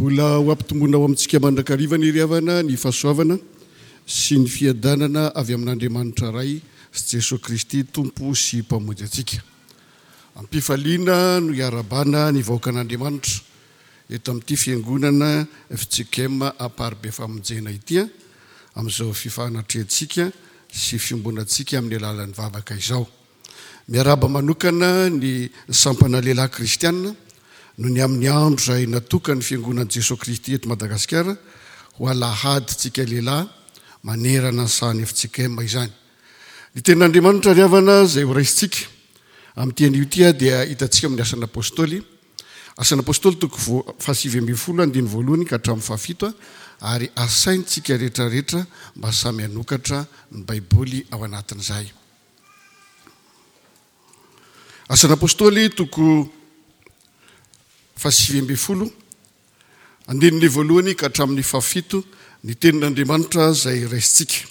Mbola ho ampitomboina ao amintsika mandrakariva anie ry havana ny fahasoavana sy ny fiadanana avy amin'Andriamanitra Ray sy Jesoa Kristy Tompo sy Mpamonjy antsika. Am-pifaliana no iarahabana ny vahoakan'Andriamanitra eto amin'ity fiangonana fjkm Amparibe Famonjena ity amin'izao fifanatrehantsika sy fiombonantsika amin'ny alalan'ny vavaka izao. Miarahaba manokana ny sampana lehilahy kristiana noho ny amin'ny andro izay natokan'ny Fiangonan'i Jesoa Kristy eto Madagasikara ho alahadintsika lehilahy manerana ny sahan'ny fjkm izany. Ny tenin'Andriamanitra ry havana izay ho raisintsika amin'ity anio ity dia hitantsika amin'ny Asan'ny Apostoly, Asan'ny Apostoly toko fahasivy ambin'ny folo andininy voalohany ka hatramin'ny fahafito ary asaintsika rehetrarehetra mba samy hanokatra ny Baiboly ao anatin'izay. Asan'ny Apostoly toko fahasivy ambin'ny folo, andininy voalohany ka hatramin'ny fahafito, ny tenin'Andriamanitra izay raisintsika.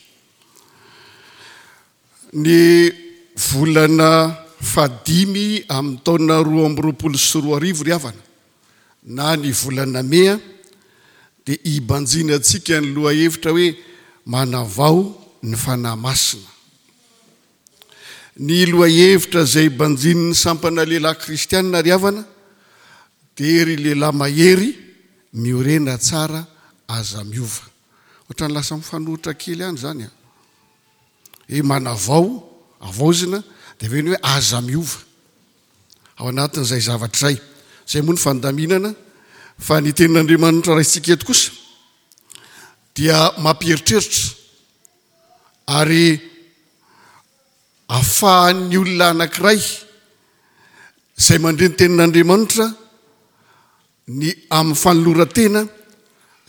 Ny volana fahadimy amin'ny taona 2022 ry havana, na ny volana mey, dia hibanjinantsika ny lohahevitra hoe manavao ny Fanahy Masina. Ny lohahevitra izay banjinin'ny sampana lehilahy kristianina ry havana dia ry lehilahy mahery miorena tsara aza miova. Ohatran'ny lasa mifanohitra kely ihany izany an. Hoe manavao, avaozina, dia avy eo ny hoe aza miova. Ao anatin'izay zavatra izay. Izay moa ny fandaminana fa ny tenin'Andriamanitra raisintsika eto kosa dia mampieritreritra ary afahan'ny olona anankiray izay mandre ny tenin'Andriamanitra ny amin'ny fanoloran-tena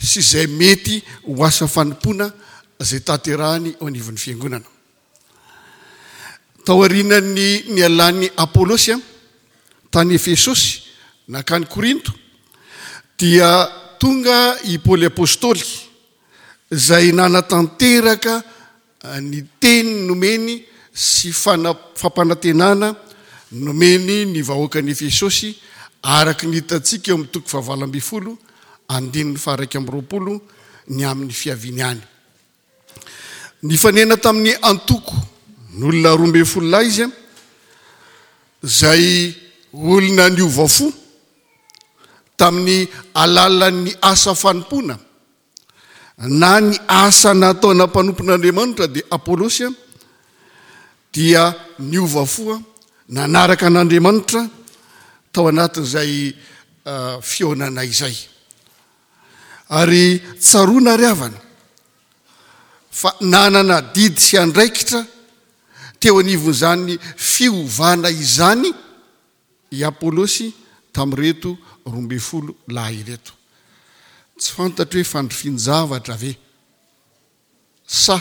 sy izay mety ho asa fanompoana izay tanterahany eo anivon'ny fiangonana. Taorian'ny nialan'i Apolosy tany Efesosy nankany Korinto dia tonga i Paoly Apostoly izay nanatanteraka ny teny nomeny sy fampanantenana nomeny ny vahoakan'i Efesosy araka ny hitantsika eo amin'ny toko fahavalo ambin'ny folo andininy faha-21 ny amin'ny fiaviany any. Nifanena tamin'ny antoko n'olona 12 lahy izy, izay olona niova fo tamin'ny alalan'ny asa fanompoana na ny asa nataona mpanompon'Andriamanitra dia Apolosy dia niova fo nanaraka an'Andriamanitra tao anatin'izay fihaonana izay. Ary tsaroana ry havana fa nanana adidy sy andraikitra teo anivon'izany fiovana izany i Apolosy tamin'ireto 12 lahy ireto. Tsy fantatro hoe fandrifin-javatra ve sa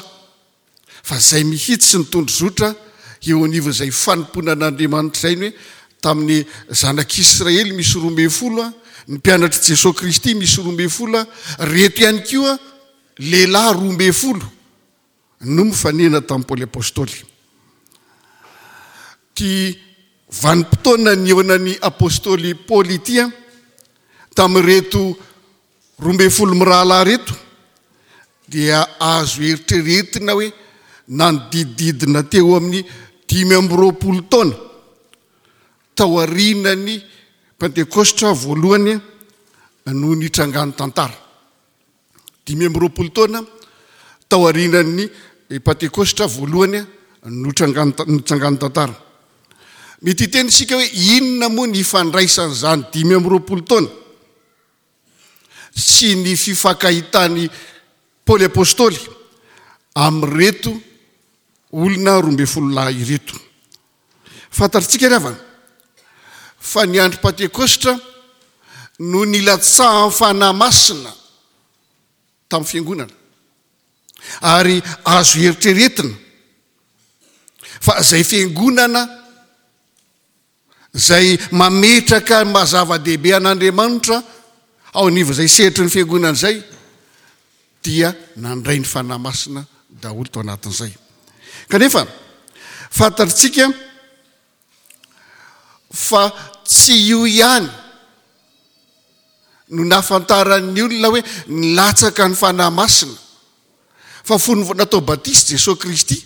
fa izay mihitsy ny tondrozotra eo anivon'izay fanompoana an'Andriamanitra izay ny hoe tamin'ny zanak'Israely misy 12, ny mpianatr'i Jesoa Kristy misy 12, reto ihany koa lehilahy 12 no mifanena tamin'i Paoly Apostoly. Ity vanim-potoana nihaonan'ny Apostoly Paoly ity tamin'ireto 12 mirahalahy ireto dia azo eritreretina hoe nanodidididina teo amin'ny 25 taona taorian'ny Pentekostra voalohany no nitrangan'ny tantara. 25 taona taorian'ny Pentekostra voalohany no nitrangan'ny tantara. Mety hiteny isika hoe inona moa ny ifandraisan'izany 25 taona sy ny fifankahitan'i Paoly Apostoly amin'ireto olona 12 lahy ireto. Fantatritsika ry havana fa ny andro Pantekostra no nilatsahan'ny Fanahy Masina tamin'ny fiangonana. Ary azo eritreretina fa izay fiangonana izay mametraka ny maha zava-dehibe an'Andriamanitra ao anivon'izay sehatry ny fiangonana izay dia nandray ny Fanahy Masina daholo tao anatin'izay. Kanefa fantatritsika fa tsy io ihany. no nahafantaran'ny olona hoe nilatsaka ny Fanahy Masina. Fa fony vao natao batisa Jesoa Kristy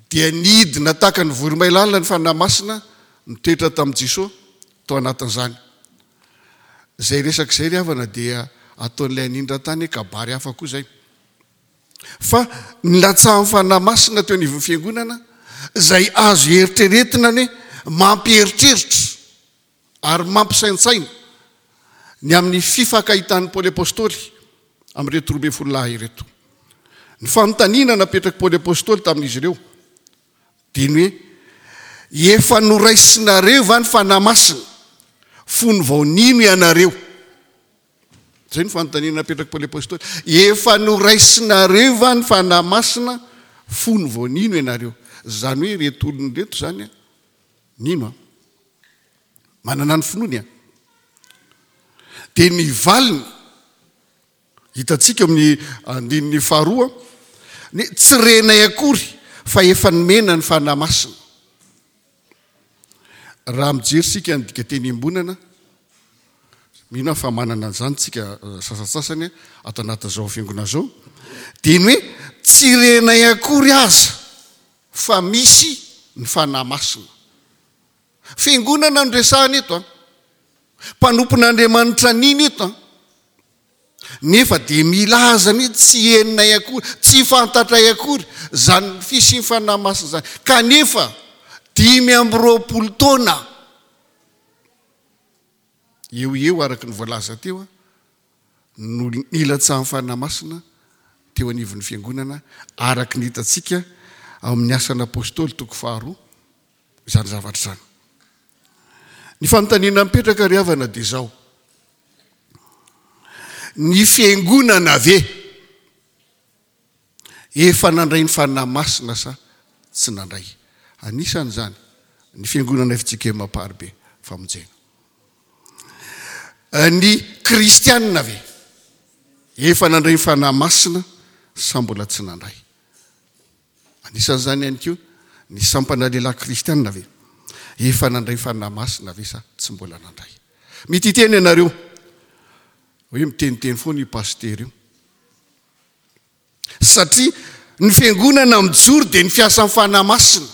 dia nidina tahaka ny voromailala ny Fanahy Masina nitoetra tamin'i Jesoa tao anatin'izany. Izay resaka izay ry havana dia ataon'ilay anindran-tany hoe kabary hafa koa izay. Fa nilatsahan'ny Fanahy Masina teo anivon'ny Fiangonana izay azo eritreretina ny hoe mampieritreritra ary mampisaintsaina ny amin'ny fifankahitan'i Paoly Apostoly amin'ireto 12 lahy ireto. Ny fanontaniana napetrak'i Paoly Apostoly tamin'izy ireo dia ny hoe, Efa noraisinareo va ny Fanahy Masina fony vao nino ianareo? Izay no fanontaniana napetrak'i Paoly Apostoly. Efa noraisinareo va ny Fanahy Masina fony vao nino ianareo? Izany hoe ireto olona ireto izany nino an. Manana ny finoany an. Dia ny valiny hitantsika amin'ny andininy faharoa, ny tsy renay akory fa efa nomena ny Fanahy Masina. Raha mijery isika ny dikateny iombonana, mino aho fa manana an'izany tsika eh, sasantsasany ato anatin'izao fiangonana izao, dia ny hoe tsy renay akory aza fa misy ny Fanahy Masina. Fiangonana no resahana eto an. Mpanompon'Andriamanitra nino eto an. Nefa dia milaza ny tsy henonay akory, tsy fantatray akory izany fisian'ny Fanahy Masina izany. Kanefa 25 taona eo eo araka ny voalaza teo no nilatsahan'ny Fanahy Masina teo anivon'ny Fiangonana araka ny hitantsika ao amin'ny Asan'ny Apostoly toko faharoa izany zavatra izany. Ny fanontaniana mipetraka ry havana dia izao, ny Fiangonana ve efa nandray ny Fanahy Masina sa tsy nandray? Anisan'izany ny Fiangonana FJKM Amparibe Famonjena. Ny kristianina ve efa nandray ny Fanahy Masina sa mbola tsy nandray? Anisan'izany ihany koa ny sampana lehilahy kristianina ve efa nandray Fanahy Masina ve sa tsy mbola nandray? Mety hiteny ianareo hoe miteniteny foana io pasitera io satria ny fiangonana mijoro dia ny fiasan'ny Fanahy Masina.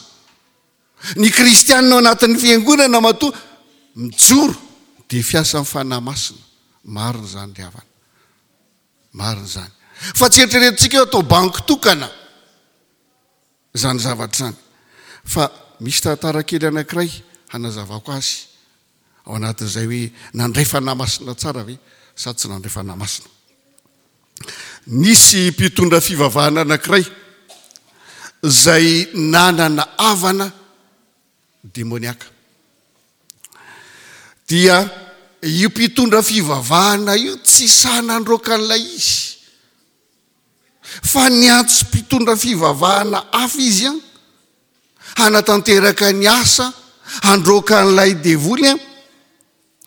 Ny kristianina ao anatin'ny fiangonana matoa mijoro dia fiasan'ny Fanahy Masina. Marina izany ry havana. Marina izany. Fa tsy eritreretintsika hoe atao banky tokana izany zavatra izany. Fa misy tantara kely anankiray hanazavako azy ao anatin'izay hoe nandray Fanahy Masina tsara ve sa tsy nandray Fanahy Masina. Nisy mpitondra fivavahana anankiray izay nanana havana demoniaka. Dia io mpitondra fivavahana io tsy sahy nandroaka an'ilay izy. Fa niantso mpitondra fivavahana hafa izy an, hanatanteraka ny asa handroaka an'ilay devoly an,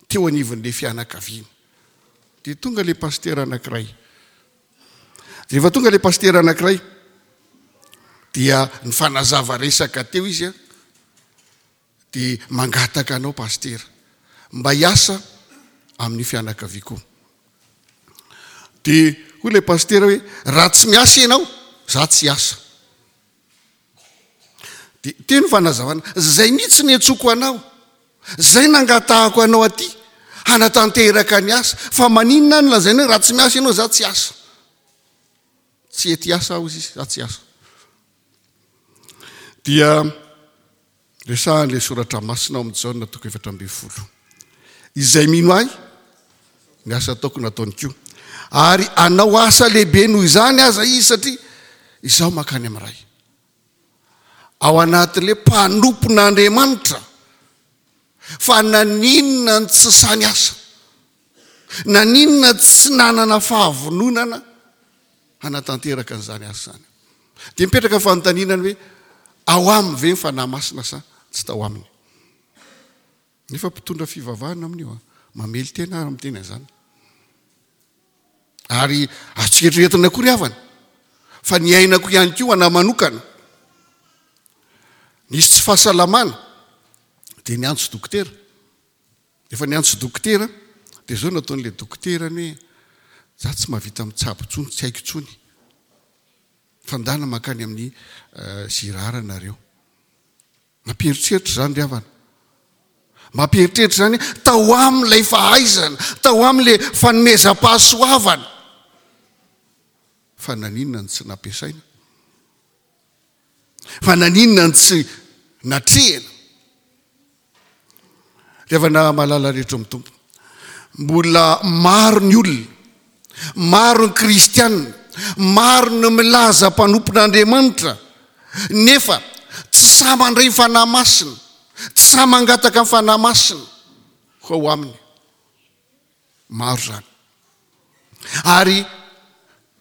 teo anivon'ilay fianakaviana. Dia tonga ilay pasitera anankiray. Rehefa tonga ilay pasitera anankiray, dia nifanazava resaka teo izy an, dia mangataka anao pasitera mba hiasa amin'ny fianakaviako. Dia hoy ilay pasitera hoe raha tsy miasa ianao, za tsy hiasa. Dia teo ny fanazavana, zay mihitsy ny antsoko anao, zay nangatahako anao aty hanatanteraka ny asa, fa maninona no lazaina hoe raha tsy miasa ianao za tsy hiasa. Tsy hety hiasa aho izy, za tsy hiasa. Dia resahan'ilay soratra masina ao amin'ny Jaona toko 14. Izay mino ahy, ny asa ataoko nataony koa. Ary hanao asa lehibe noho izany aza izy satria izaho mankany amin'ny Ray. Ao anatin'ilay mpanompon'Andriamanitra fa naninona ny tsy sahy niasa, naninona tsy nanana fahavononana hanatanteraka an'izany asa izany. Dia mipetraka fanontaniana ny hoe ao aminy ve ny Fanahy Masina sa tsy tao aminy? Nefa mpitondra fivavahana amin'io an, mamely tena ary miteny an'izany. Ary azontsika eritreretina koa ry havana fa ny ainako ihany koa ana manokana. Nisy tsy fahasalamana dia niantso dokotera. Efa niantso dokotera. Dia izao no nataon'ilay dokoterany hoe, za tsy mahavita mitsabo intsony, tsy haiko intsony. Fa ndana mankany amin'ny Girard nareo. Mampieritreritra izany ry havana. Mampieritreritra izany tao amin'ilay fahaizana, tao amin'ilay fanomezam-pahasoavana. Fa naninona no tsy nampiasaina? Fa naninona no tsy natrehina? Ry havana malala rehetra ao amin'ny Tompo, mbola maro ny olona, maro ny kristiana, maro ny milaza mpanompon'Andriamanitra, nefa tsy sahy mandray ny Fanahy Masina, tsy sahy mangataka ny Fanahy Masina ho ao aminy. Maro izany. Ary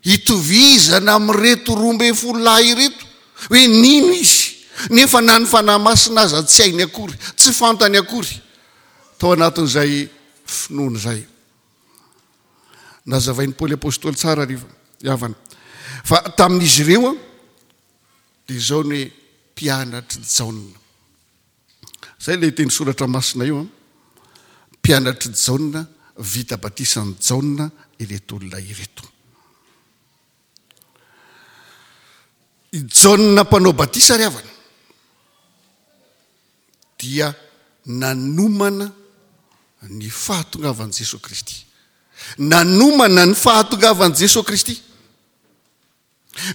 itovizana amin'ireto 12 lahy ireto hoe nino izy, nefa na ny Fanahy Masina aza tsy hainy akory, tsy fantany akory tao anatin'izay finoana izay. Nazavain'i Paoly Apostoly tsara ry havana fa tamin'izy ireo dia izao ny hoe mpianatr'i Jaona. Izay ilay teny soratra masina io an. Mpianatr'i Jaona, vita batisan'i Jaona ireto olona ireto. I Jaona mpanao batisa ry havana dia nanomana ny fahatongavan'i Jesoa Kristy. Nanomana ny fahatongavan'i Jesoa Kristy.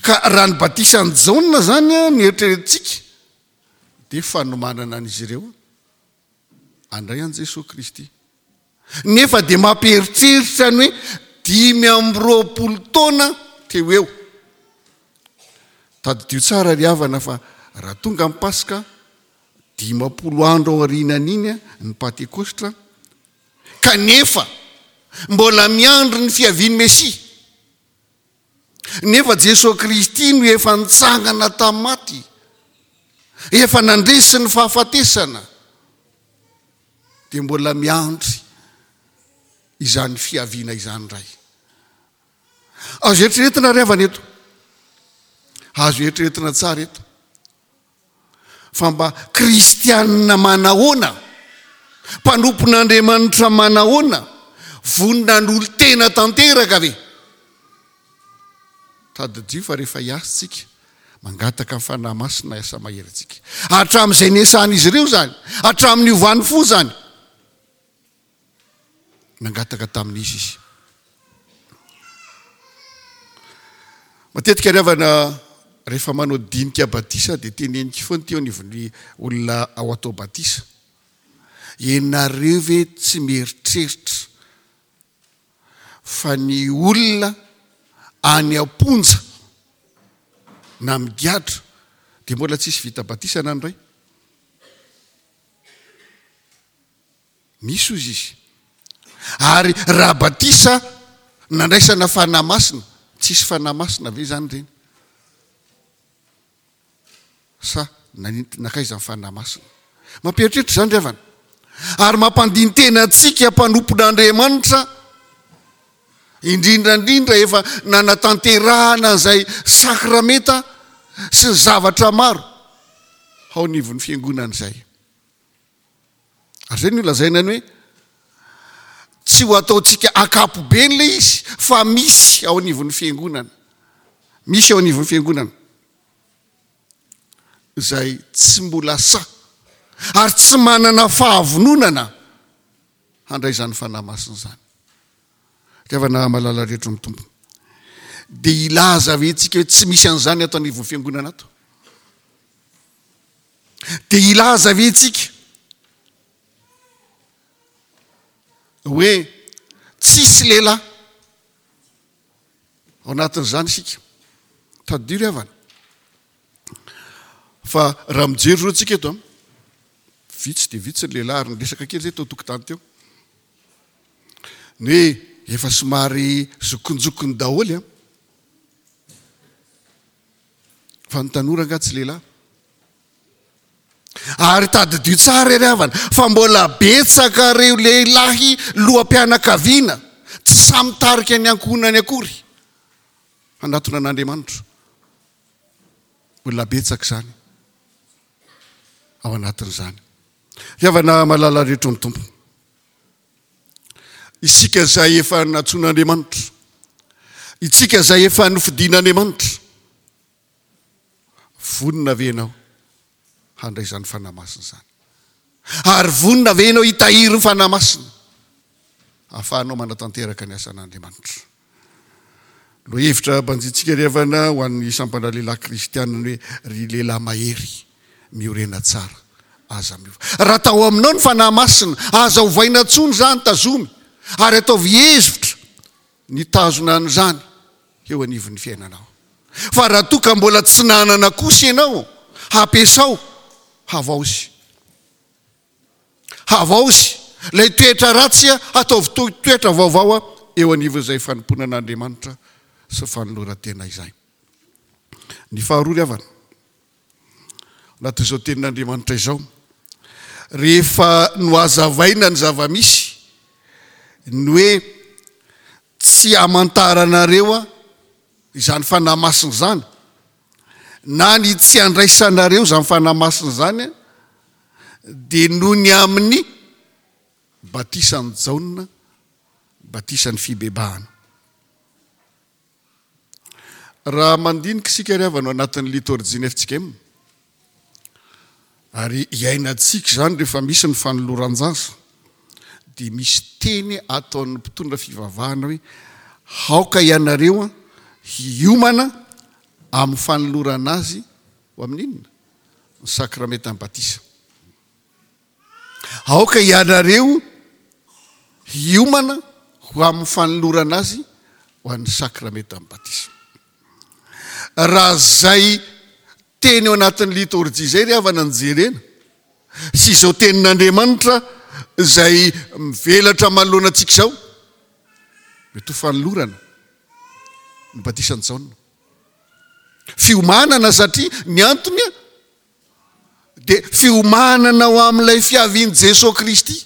Ka raha ny batisan'i Jaona izany no eritreretintsika dia fanomanana an'izy ireo handray an'i Jesoa Kristy. Nefa dia mampieritreritra ny hoe 25 taona teo eo. Tadidio tsara ry havana fa raha tonga ny Paska, 50 andro aorianan'iny ny Pantekostra, kanefa mbola miandry ny fiavian'ny Mesia. Nefa Jesoa Kristy no efa nitsangana tamin'ny maty, efa nandresy ny fahafatesana, dia mbola miandry izany fiaviana izany indray. Azo eritreretina ry havana eto, azo eritreretina tsara eto. Fa mba kristianina manahoana? Mpanompon'Andriamanitra manahoana? Vonona hanolo-tena tanteraka ve? Tadidio fa rehefa hiasa isika, mangataka ny Fanahy Masina hiasa mahery antsika. Hatramin'izay niasan'izy ireo izany, hatramin'ny niovany fo izany. Nangataka tamin'izy izy. Matetika ry havana rehefa manao dinika batisa dia teneniko foana ity eo anivon'ny olona ao atao batisa. Ianareo ve tsy mieritreritra fa ny olona any am-ponja na migadra dia mbola tsisy vita batisa na ny ray? Misy hozy izy. Ary raha batisa nandraisana Fanahy Masina, tsisy Fanahy Masina ve izany ireny? Sa nankaiza ny Fanahy Masina? Mampieritreritra izany ry havana. Ary mampandini-tena antsika mpanompon'Andriamanitra, indrindra indrindra efa nanatanterahana izay sakramenta sy ny zavatra maro ao anivon'ny fiangonana izay. Ary izay no ilazaina ny hoe tsy ho ataontsika ankapobeny ilay izy fa misy ao anivon'ny fiangonana. Misy ao anivon'ny fiangonana izay tsy mbola sahy ary tsy manana fahavononana handray izany fanahy masina izany. Ry havana malala rehetra amin'ny Tompo. Dia hilaza ve tsika hoe tsy misy an'izany ato anivon'ny fiangonana ato? Dia hilaza ve tsika hoe tsisy lehilahy ao anatin'izany isika? Tadidio ry havana fa raha mijery zao tsika eto an, vitsy dia vitsy ny lehilahy ary niresaka kely zay teo tokotany teo. Ny hoe efa somary zokinjokiny daholo an. Fa ny tanora angaha tsy lehilahy? Ary tadidio tsara ry havana fa mbola betsaka ireo lehilahy loham-pianakaviana tsy sahy mitarika ny ankohonany akory hanatona an'Andriamanitra. Mbola betsaka izany ao anatin'izany. Ry havana malala rehetra amin'ny Tompo. Isika izay efa nantsoin'Andriamanitra, itsika izay efa nofidin'Andriamanitra, vonona ve ianao handray izany Fanahy Masina izany? Ary vonona ve ianao hitahiry ny Fanahy Masina ahafahanao manatanteraka ny asan'Andriamanitra? Lohahevitra banjintsika ry havana ho an'ny sampana lehilahy kristiana ny hoe ry lehilahy mahery miorena tsara aza miova. Raha tao aminao ny Fanahy Masina, aza ovaina intsony izany, tazomy ary ataovy hevitra ny hitazona an'izany eo anivon'ny fiainanao. Fa raha toa ka mbola tsy nanana kosa ianao, hampiasao, havaozy. Havaozy ilay toetra ratsy, ataovy toy toetra vaovao eo anivon'izay fanompoana an'Andriamanitra sy fanoloran-tena izay. Ny faharoa ry havana, anatin'izao tenin'Andriamanitra izao, rehefa nohazavaina ny zava-misy, ny hoe tsy hamantaranareo izany Fanahy Masina izany, na ny tsy handraisanareo izany Fanahy Masina izany dia noho ny amin'ny batisan'i Jaona, batisan'ny fibebahana. Raha mandinika isika ry havana ao anatin'ny litorjia ny FJKM, ary iainantsika izany rehefa misy ny fanoloran-jaza, dia misy teny ataon'ny mpitondra fivavahana hoe aoka ianareo hiomana amin'ny fanolorana azy ho amin'ny inona? Ny sakramentan'ny batisa. Aoka ianareo hiomana ho amin'ny fanolorana azy ho an'ny sakramentan'ny batisa. Raha izay teny ao anatin'ny litorjia izay ry havana no jerena, sy izao tenin'Andriamanitra izay mivelatra manoloana antsika izao, mety ho fanolorana ny batisan'i Jaona. Fiomanana satria ny antony dia fiomanana ho amin'ilay fiavian'i Jesoa Kristy.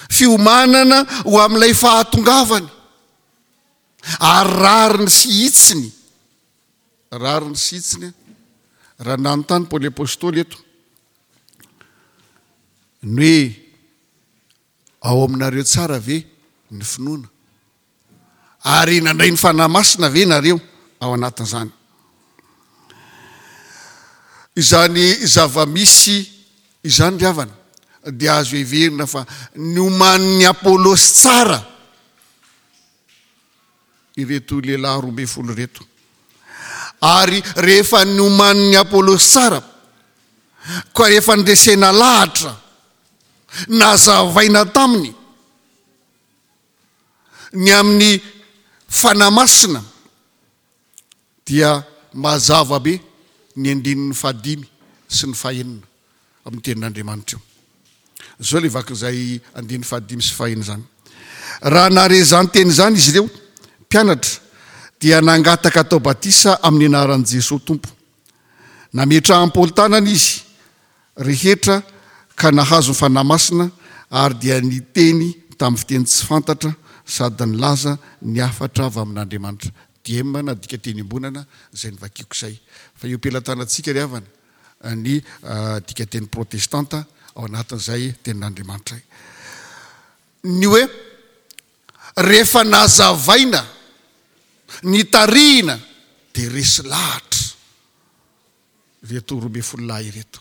Fiomanana ho amin'ilay fahatongavany. Ary rariny sy hitsiny, rariny sy hitsiny, raha nanontany Paoly Apostoly eto, ny hoe ao aminareo tsara ve ny finoana? Ary nandray ny Fanahy Masina ve nareo ao anatin'izany? Izany zava-misy izany ry havana dia azo heverina fa nomanin'i Apolosy tsara ireto lehilahy 12 ireto. Ary rehefa nomanin'i Apolosy tsara, koa rehefa nresena lahatra, nazavaina taminy ny amin'ny Fanahy Masina, dia mazava be ny andininy fahadimy sy ny fahenina amin'ny tenin'Andriamanitra io. Izao ilay vakin'izay andininy fahadimy sy fahenina izany. Raha nahare izany teny izany izy ireo, mpianatra, dia nangataka atao batisa amin'ny anaran'i Jesoa Tompo. Nametrahan'i Paoly tanana izy rehetra ka nahazo ny Fanahy Masina ary dia niteny tamin'ny fiteny tsy fantatra sady nilaza ny hafatra avy amin'Andriamanitra. Diem na dika teny iombonana izay novakiako izay. Fa eo am-pelatanantsika ry havana ny dika teny protestanta ao anatin'izay tenin'Andriamanitra. Ny hoe rehefa nazavaina, nitarihina dia resy lahatra. Ireto 12 lahy ireto.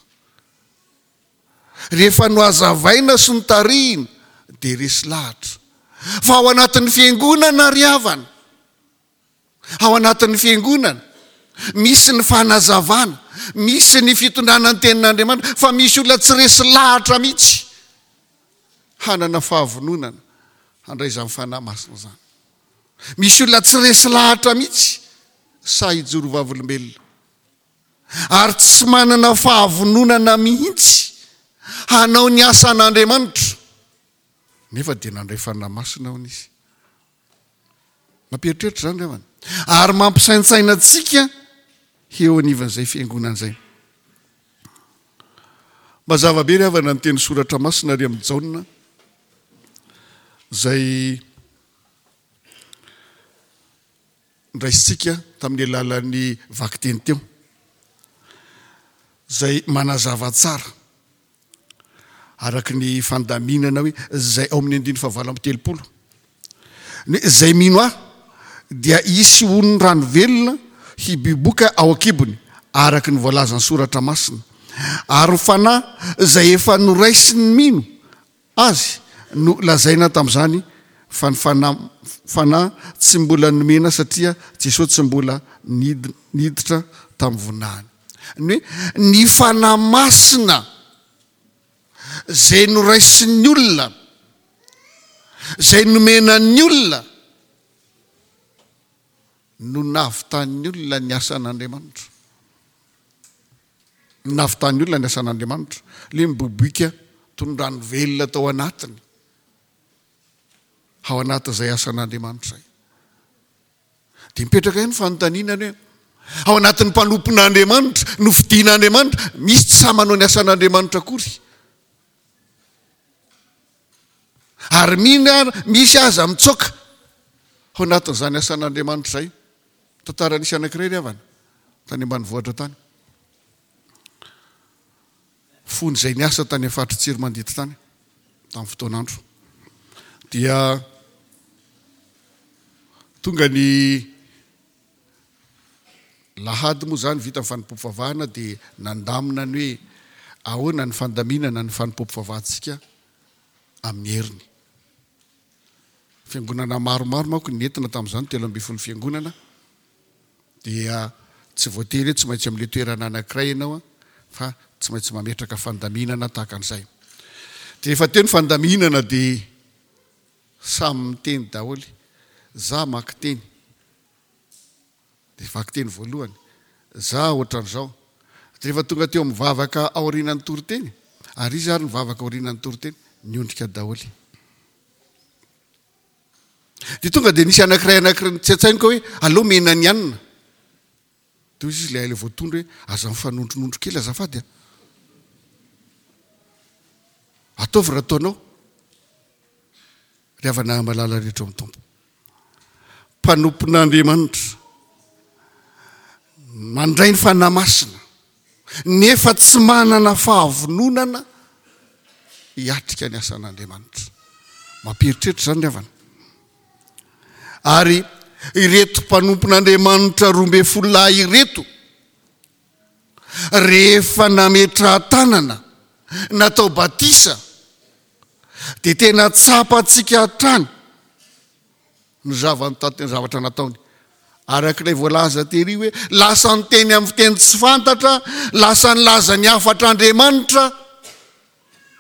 Rehefa nohazavaina sy notarihina dia resy lahatra. Fa ao anatin'ny fiangonana ry havana, ao anatin'ny fiangonana, misy ny fanazavana, misy ny fitondrana ny tenin'Andriamanitra, fa misy olona tsy resy lahatra mihitsy hanana fahavononana handray izany Fanahy Masina izany. Misy olona tsy resy lahatra mihitsy sahy hijoro vavolombelona ary tsy manana fahavononana mihitsy hanao ny asan'Andriamanitra, nefa dia nandray Fanahy Masina hono izy. Mampieritreritra izany ry havana, ary mampisaintsaina antsika eo anivon'izay fiangonana izay. Mazava be ry havana ny teny soratra masina ary amin'i Jaona izay Noraisintsika tamin'ny alalan'ny vakiteny teo, izay manazava tsara. Araka ny fandaminana hoe izay ao amin'ny andininy fahavalo amby 30. Ny hoe izay mino ahy dia hisy onin'ny rano velona hibiboka ao an-kibony, araka ny voalazan'ny Soratra Masina. Ary ny Fanahy izay efa noraisin'ny mino Azy no lazaina tamin'izany fa ny Fanahy Fanahy tsy mbola nomena satria Jesosy tsy mbola niditra tamin'ny voninahiny. Ny hoe ny Fanahy Masina izay noraisin'ny olona, izay nomena ny olona no nahavitan'ny olona ny asan'Andriamanitra. Nahavitan'ny olona ny asan'Andriamanitra. Ilay miboiboika toy ny rano velona tao anatiny, ao anatin'izay asan'Andriamanitra izay. Dia mipetraka ihany ny fanontaniana ny hoe, ao anatin'ny mpanompon'Andriamanitra, nofidin'Andriamanitra, misy tsy sahy manao ny asan'Andriamanitra akory. Ary mino ary misy aza mitsoaka ao anatin'izany asan'Andriamanitra izay. Tantara nisy anankiray ry havana, tany ambanivohitra tany. Fony izay niasa tany amin'ny faritry Tsiromandidy tany, tamin'ny fotoan'andro. Dia tonga ny lahady moa izany vita ny fanompoam-pivavahana dia nandamina ny hoe ahoana ny fandaminana ny fanompoam-pivavahantsika amin'ny heriny. Fiangonana maromaro manko ny nentina tamin'izany, 13 fiangonana, dia tsy voatery hoe tsy maintsy amin'ilay toerana anankiray ianao fa tsy maintsy mametraka fandaminana tahaka an'izay. Dia rehefa teo ny fandaminana dia samy miteny daholo, za maka teny. Dia vakiteny voalohany, za ohatran'izao. Dia rehefa tonga teo amin'ny vavaka aorianan'ny toriteny, ary iza ary ny vavaka aorianan'ny toriteny? Niondrika daholo. Dia tonga dia nisy anankiray anankiray nitsaintsainoka hoe aleo mena ny anona. Dia hoy izy ilay ilay voatondro hoe aza mifanondronondro kely azafady a. Ataovy raha ataonao. Ry havana malala rehetra ao amin'ny Tompo. Mpanompon'Andriamanitra mandray ny Fanahy Masina nefa tsy manana fahavononana hiatrika ny asan'Andriamanitra. Mampieritreritra izany ry havana. Ary ireto mpanompon'Andriamanitra 12 lahy ireto rehefa nametraha-tanana natao batisa dia tena tsapantsika hatrany ny zavatra nataony. Araka ilay voalaza tery hoe lasa niteny amin'ny fiteny tsy fantatra, lasa nilaza ny hafatr'Andriamanitra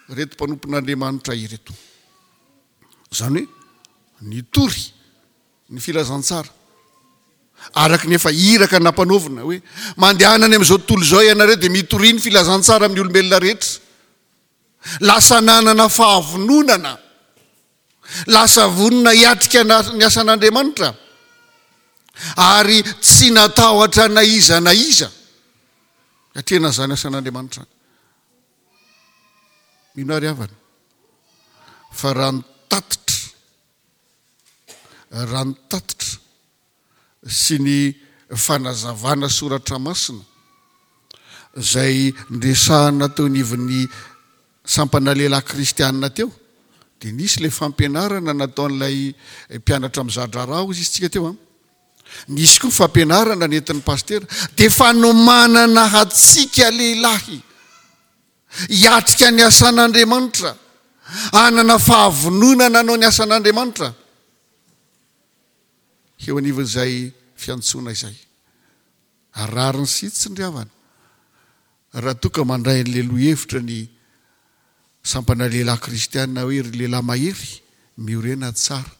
ireto mpanompon'Andriamanitra ireto. Izany hoe nitory ny filazantsara araka ny efa iraka nampanaovina hoe mandehana any amin'izao tontolo izao ianareo dia mitoria ny filazantsara amin'ny olombelona rehetra. Lasa nanana fahavononana, lasa vonona hiatrika ny asan'Andriamanitra, ary tsy natahotra na iza na iza hiatrehana izany asan'Andriamanitra izany. Mino aho ry havana fa raha ny tatitra, raha ny tatitra sy ny fanazavana soratra masina izay niresahana teo anivon'ny sampana lehilahy kristianina teo dia nisy ilay fampianarana nataon'ilay mpianatra mizadraharaha hozy izy tsika teo an nisy koa fampianarana nentin'ny pasitera dia fanomanana hatsika lehilahy hiatrika ny asan'Andriamanitra hanana fahavononana hanao ny asan'Andriamanitra Eo anivon'izay fiantsoana izay. Ary rariny sy hitsiny ry havana, raha toa ka mandray an'ilay lohahevitra ny sampana lehilahy kristiana hoe ry lehilahy mahery, miorena tsara,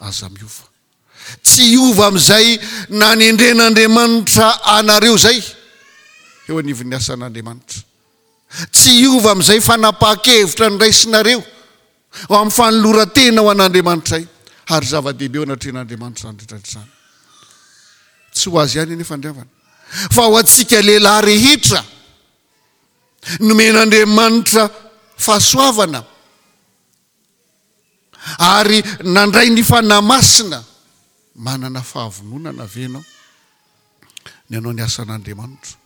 aza miova. Tsy hiova amin'izay nanendren'Andriamanitra anareo izay eo anivon'ny asan'Andriamanitra. Tsy hiova amin'izay fanapahan-kevitra noraisinareo Ho amin'ny fanoloran-tena ho an'Andriamanitray, ary zava-dehibe eo anatrehan'Andriamanitra izany rehetra izany. Tsy ho azy ihany anefa ny havana, fa ho antsika lehilahy rehetra nomen'Andriamanitra fahasoavana ary nandray ny Fanahy Masina. Manana fahavononana ve ianao ny hanao ny asan'Andriamanitra?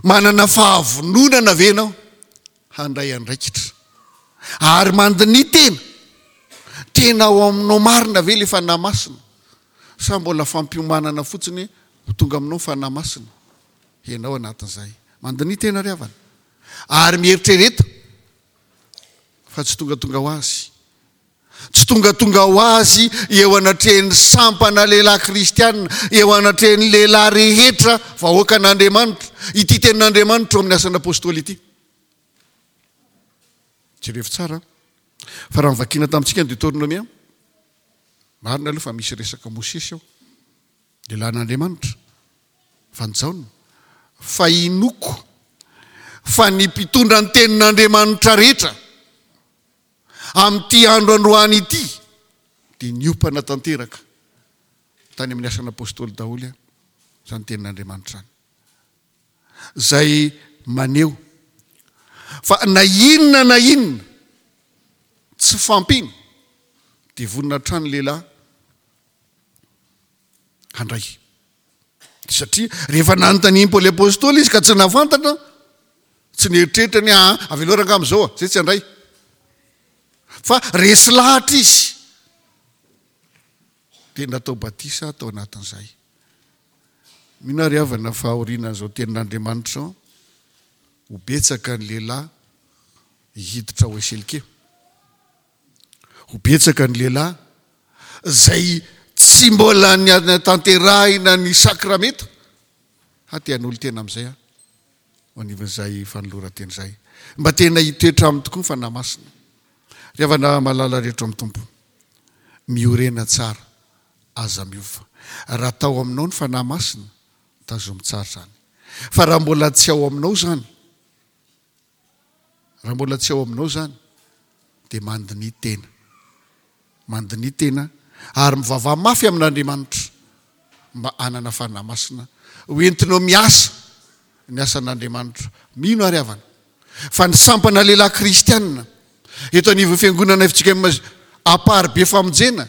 Manana fahavononana ve ianao? handray andraikitra. Ary mandiniha tena, tena ao aminao marina ve ilay Fanahy Masina sa mbola fampiomanana fotsiny ho tonga aminao ny Fanahy Masina? Ianao anatin'izay. Mandiniha tena ry havana. Ary mieritrereta fa tsy tongatonga ho azy. Tsy tongatonga ho azy eo anatrehan'ny sampana lehilahy kristiana, eo anatrehan'ny lehilahy rehetra vahoakan'Andriamanitra, ity tenin'Andriamanitra ao amin'ny Asan'ny Apostoly ity. Jerevo tsara fa raha novakiana tamintsika ny Deoteronomia, marina aloha fa misy resaka Mosesy ao, lehilahin'Andriamanitra, fa ny Jaona, fa inoako fa ny mpitondra ny tenin'Andriamanitra rehetra Amin'ity andro androany ity dia niompana tanteraka tany amin'ny asan'ny apostoly daholo izany tenin'Andriamanitra izany. Izay maneho fa na inona na inona tsy fampina dia vonona hatrany ny lehilahy handray. Satria rehefa nanontanian'i Paoly Apostoly izy ka tsy nahafantatra, tsy nieritreritra ny aa avelao rangaha amin'izao a, zay tsy handray. Fa resy lahatra izy. Dia natao batisa tao anatin'izay. Mino aho ry havana fa aorianan'izao tenin'Andriamanitra izao, ho betsaka ny lehilahy hiditra ao SLK. Ho betsaka ny lehilahy izay tsy mbola nianatanterahina ny sakramenta ha te hanolo-tena amin'izay aho eo anivon'izay fanoloran-tena izay. Mba tena hitoetra aminy tokoa ny Fanahy Masina. Ry havana malala rehetra ao amin'ny Tompo, miorena tsara, aza miova. Raha tao aminao ny Fanahy Masina, tazomy tsara izany. Fa raha mbola tsy ao aminao izany, Raha mbola tsy ao aminao izany dia mandiniha tena. Mandiniha tena ary mivavaha mafy amin'Andriamanitra mba hanana Fanahy Masina ho entinao miasa ny asan'Andriamanitra. Mino ary havana fa ny sampana lehilahy kristianina eto anivon'ny fiangonana fjkm Amparibe Famonjena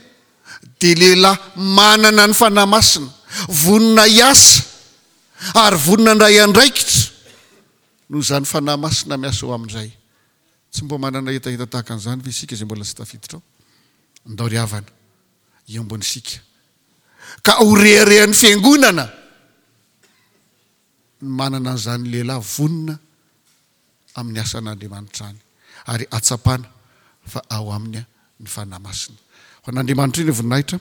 dia lehilahy manana ny Fanahy Masina, vonona hiasa ary vonona handray andraikitra. Noho izany Fanahy Masina miasa ao aminy izay. Tsy mba manana hetaheta tahaka an'izany ve isika izay mbola tsy tafiditra ao? Ndao ry havana, hiombona isika ka ho reharehan'ny Fiangonana ny manana an'izany lehilahy vonona amin'ny asan'Andriamanitra izany ary hatsapana fa ao aminy ny Fanahy Masina. Ho an'Andriamanitra indray ny voninahitra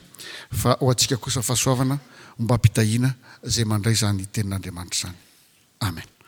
fa ho antsika kosa fahasoavana ombam-pitahiana izay mandray izany Tenin'Andriamanitra izany. Amen.